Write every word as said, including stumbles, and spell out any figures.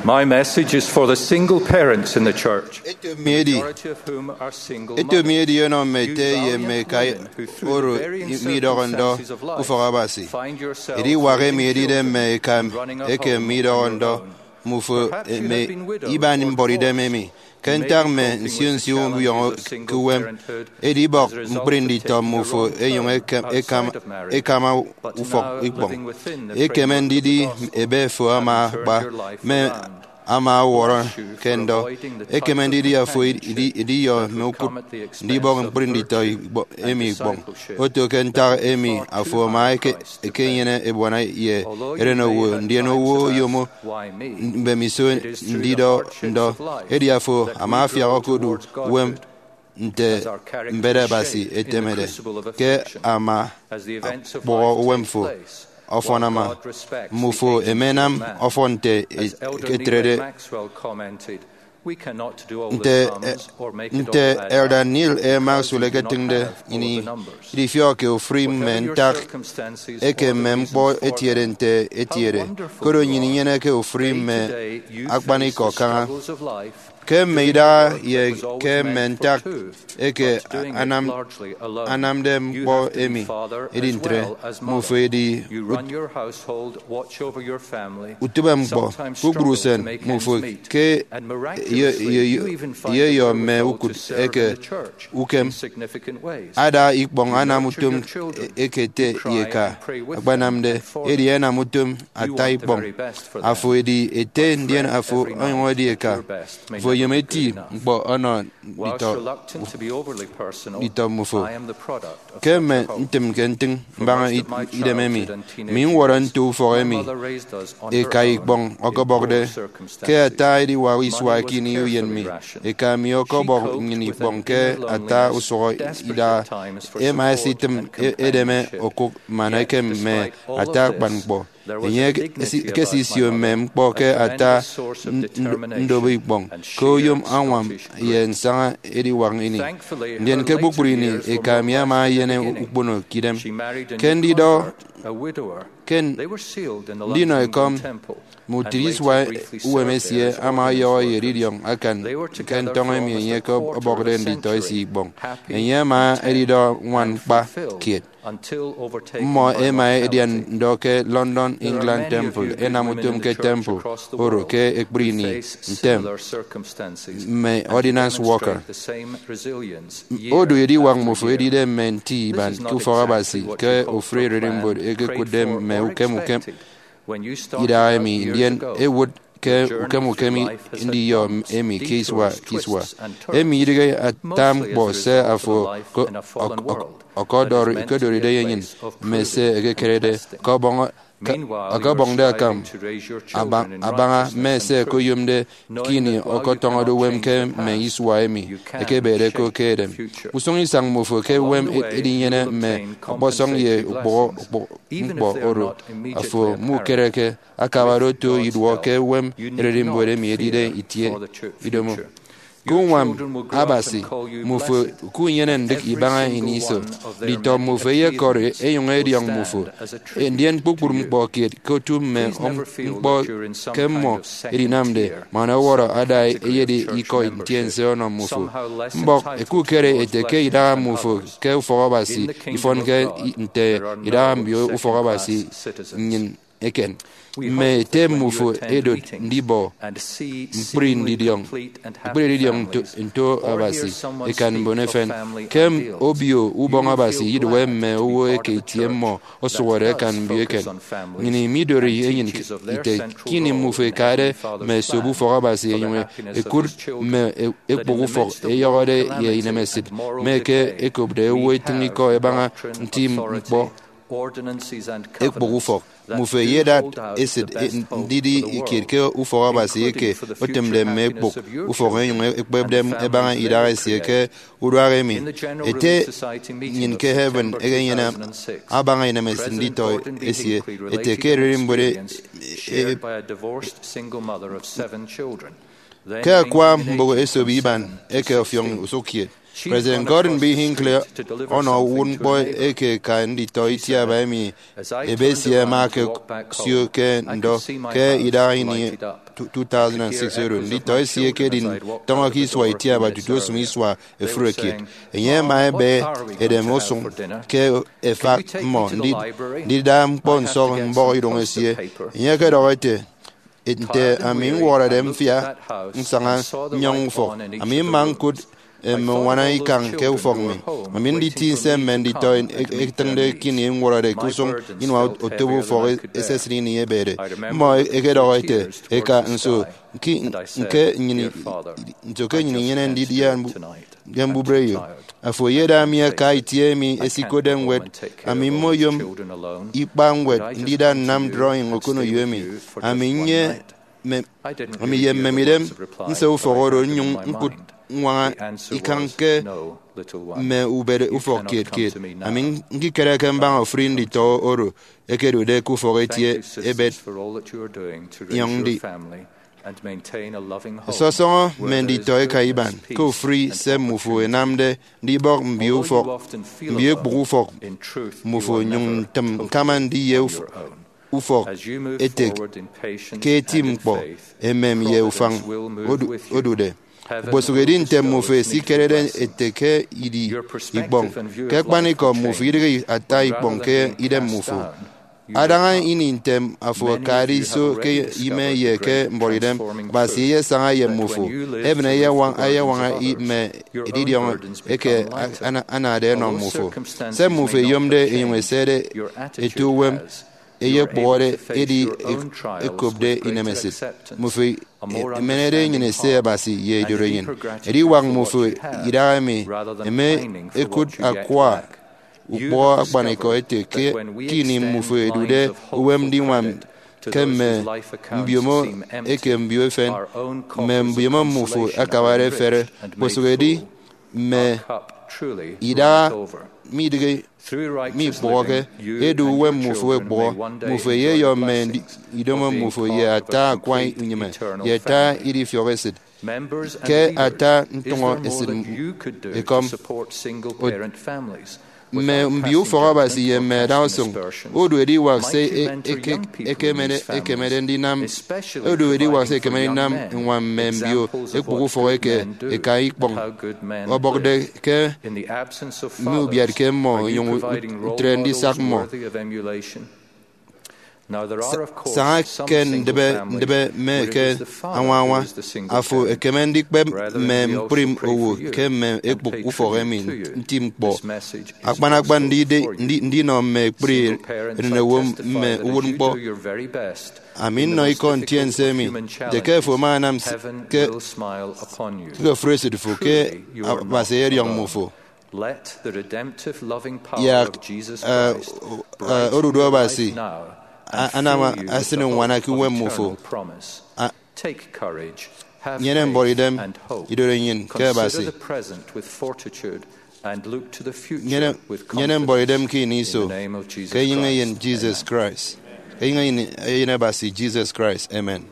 My message is for the single parents in the church, eto mi edi eto mi edi ọnọ mme ete ye mme eka oro midọhọ ndọ ufọk Abasi. Ediwak emi edide mme eka eke midọhọ ndọ mmufo mme iban mbuọtidem emi ke ntak mme nsio nsio ubiọñọ ke uwem. Edibọk ñkpri nditọ mmufo enyuñ ekama ufọk ikpọñ. Ekeme ndidi ebe fo ama akpa mme ama ọwọrọ ke ndọ. Ekeme ndidi afo idiyọ mme ukut ndibọk ñkpri nditọ emi ikpọñ. Oto ke ntak emi afo ama ekenyene ebuana ye erenowo, ndien owo oyomo mbemiso ndidọ ndọ. Edi afo ama afiak okodu uwem nte mbet Abasi etemede ke ama akpọhọ uwem fo. Ọfọn ama, mmufo emenam ọfọn nte etrede. Nte Elder Neal A. Maxwell eketịñde ini, idifiọkke ofụri mme ntak eke mme ñkpọ etiede nte etiede, koro nnyịn inyeneke ofụri mme akpanikọ kaña. Ke mme idaha ye ke mme ntak eke anamde ñkpọ emi edi ntre, mmufo edi utịbeñkpọ. Kpukpru usen mmufo ke iyeyọ mme ukut eke ukem ada ikpọñ anam utom eke ete ye eka akpanamde, edi ẹnam utom ata ikpọñ. Afo edi ete ndien afo onyụñ edi eka. Afo oyom eti ñkpọ ọnọ nditọ mmufo. Ke mme ntịmke ntịñ mbaña idem emi, mi ñwọrọ nto ufọk emi eka ikpọñ ọkọbọkde. Ke ata ediwak isua ke ini uyen mi, eka mi ọkọbọk nnyịn ikpọñ ke ata usụhọ idaha. Ẹma ẹsitịm edeme okụk man ekem mme ata akpan ñkpọ. Enye ekesisio mme ñkpọ ke ata ndobo ikpọñ ke oyom añwam ye nsaña ediwak ini. Ndien ke kpukpru ini, eka mi ama enyene ukpono ke idem. Ke ndidọ ke ndinọ ekọm, mme utịt isua uwem esie ama ọyọhọ ye edidiọñ akan ke ntọñọ emi enye ọkọbọkde nditọ esie ikpọñ. Enye ama edidọ ñwan kpa kiet. Mmọ ẹma ẹdian ndọ ke London Anglican Temple, ẹnam utom ke temple oro ke ekpri ini ntem mme ordinance worker. Odu ediwak mmufo edide mme nti iban ke ufọk Abasi ke ofụri ererimbot eke ẹkụtde mme ukem ukem idaha emi, ndien ẹwụt ke ukem ukem ndiyọ emi ke isua ke isua. Emi idịghe ata ñkpọ se afo ọkọdọri- ọkọdọride ye enyịn mme se ẹkekerede, ọkọbọñ- ọkọbọñde akam abaña mme se ẹkoyomde ke ini ọkọtọñọde uwem ke mme isua emi ẹkebede ko ke edem. Usụñ isañ mmufo ke uwem edinyene mme ọkpọsọñ ye ukpụhọ ñkpọ oro afo mukereke akabade oto iduọ ke uwem ererimbot emi edide itie idomo. Ke uñwam Abasi, mmufo ukunyene ndịk ibaña ini iso. Nditọ mmufo ẹyekọri ẹnyụñ ẹdiọñ mmufo, ndien kpukpru ñkpọ kiet ke otu mme ñkpọ ke mmọ edinamde man ọwọrọ ada eyedi ikọ ntiense ọnọ mmufo. Mbọk ẹkukere ẹte ke idaha mmufo ke ufọk Abasi ifọnke nte idaha mbio ufọk Abasi nnyịn eken. Mme ete mmufo ẹdot ndibọ ñkpri ndidiọñ ñkpri edidiọñ nto Abasi ẹkan mbon efen. Ke obio ubọñ Abasi idụhe mme owo eke itie mmọ ọsụhọde ẹkan mbio eken. Nnyịn midori enyịn ite ke ini mmufo ẹkade mme esop ufọk Abasi ẹnyụñ ẹkụt mme ekpụk ufọk ẹyọhọde ye inemesịt, mme eke ẹkopde owo ẹtịñ ikọ ẹbaña nti ñkpọ ekpụk ufọk. Mmufo ẹyedat esịt ndidi kiet ke ufọk Abasi eke otịmde mme ekpụk ufọk ẹnyụñ ẹkpepde ẹbaña idaha esie ke uduak emi. Ete nnyịn ke heaven ekenyene abaña inemesịt nditọ esie ete ke ererimbot e- e- Ke akwa mbụk esop iban eke ọfiọñ usụkkiet, President Gordon B. Hinckley ọnọ uwụtñkpọ eke eka nditọ itiaba emi ebe esie ẹma ẹkesio ke ndọ ke idaha ini two thousand six oro. Nditọ esie ẹkedi ntọñọ ke isua itiaba tutu osụm isua efure kiet. Enye ama ebe edem usụñ ke efak mmọ ndi- ndida ñkpọ nsọk mbọhọ idoñ esie. Enye ọkọdọhọ ete, nte ami ñwọrọde mfia nsaña nnyọñ ufọk, ami mma ñkụt mme uñwana ikañ ke ufọk mi. Ami nditi nse mme nditọ e- etịñde ke ini ñwọrọde ke usụñ inua otobo ufọk esesịt ini ebede. Mmọ ẹkedọhọ ẹte, eka, nso ke nnyịn inyene ndidi ye mbubereyo? Afo eyeda mi aka itie emi ẹsikotde ñwed, ami mmoyom ikpa ñwed ndida nnam drawing okoneyo emi. Ami nye mme- ami ye mmemidem nse ufọk oro nnyụñ ñkụt ññwaña ikañ ke mme ubet ufọk kiet kiet. Ami ñkikereke mbaña ofụri nditọ oro ẹkedude ke ufọk etie ebet inyọñ ndi. Sọsọñọ mme nditọ eka iban ke ofụri se mmufo ẹnamde ndibọk mbio ufọk, mbio ekpụk ufọk mmufo, nyụñ ntịm ñkama ndiye uf- ufọk ete ke eti ñkpọ emem ye ufañ odu- odude. Okposụkedi nte mmufo ẹsikerede ete ke idi ikpọñ, ke akpanikọ mmufo idịghe ata ikpọñ ke idem mmufo. Adaña ini ntem afo akade iso ke ime ye ke mbuọtidem, Abasi eyesaña ye mmufo, heaven eyewañ- eyewaña i- mme edidiọñ eke a- ana- anade ẹnọ mmufo. Se mmufo ẹyomde ẹnyụñ ẹsede ete uwem eyekpụhọde edi e- ekopde inemesịt. Mmufo e- emenede enyịn ese Abasi ye idorenyin. Ediwak mmufo idahaemi eme ekụt akwa ukpọhọ akpanikọ ete ke ke ini mmufo ẹdude uwem ndiñwam ke mme mbiomo eke mbio efen, mme mbiomo mmufo akabade efere, kpọsụk edi mme idaha midịghe mikpụhọke, edu uwem mmufo ekpụhọ. Mmufo eyeyọ mme ndi- idomo mmufo ye ata akwa unyịme ye ata idifiọk esịt, ke ata ntụñọ esịt ekọm. Mme mbio ufọk Abasi ye mme adausụñ, odu ediwak se e- eke- ekemede ekemede ndinam odu ediwak se ekemede ndinam ññwam mme mbio ekpụk ufọk eke eka ikpọñ ọbọkde ke mme ubiatke mmọ, enyụñ ntre ndisak mmọ. Saña ke ndịbe ndịbe mme ke añwañwa, afo ekeme ndikpep mme ñkpri owo ke mme ekpụk ufọk emi nti ñkpọ, akpan akpan ndide- ndi- ndinọ mme ekpri enenewo mme uwụtñkpọ. Ami nnọ ikọ ntiense emi nte ke afo ama anam s- ke ke ofụri esịt fo ke Abasi eyediọñ mmufo. Yak odudu Abasi anam asịn uñwana ke uwem mmufo. Nyene mbọrọidem, idorenyin ke Abasi. Nyene mbọrọidem ke ini iso, ke enyịñ eyen Jesus Christ, ke enyịñ eyen Abasi Jesus Christ. Amen.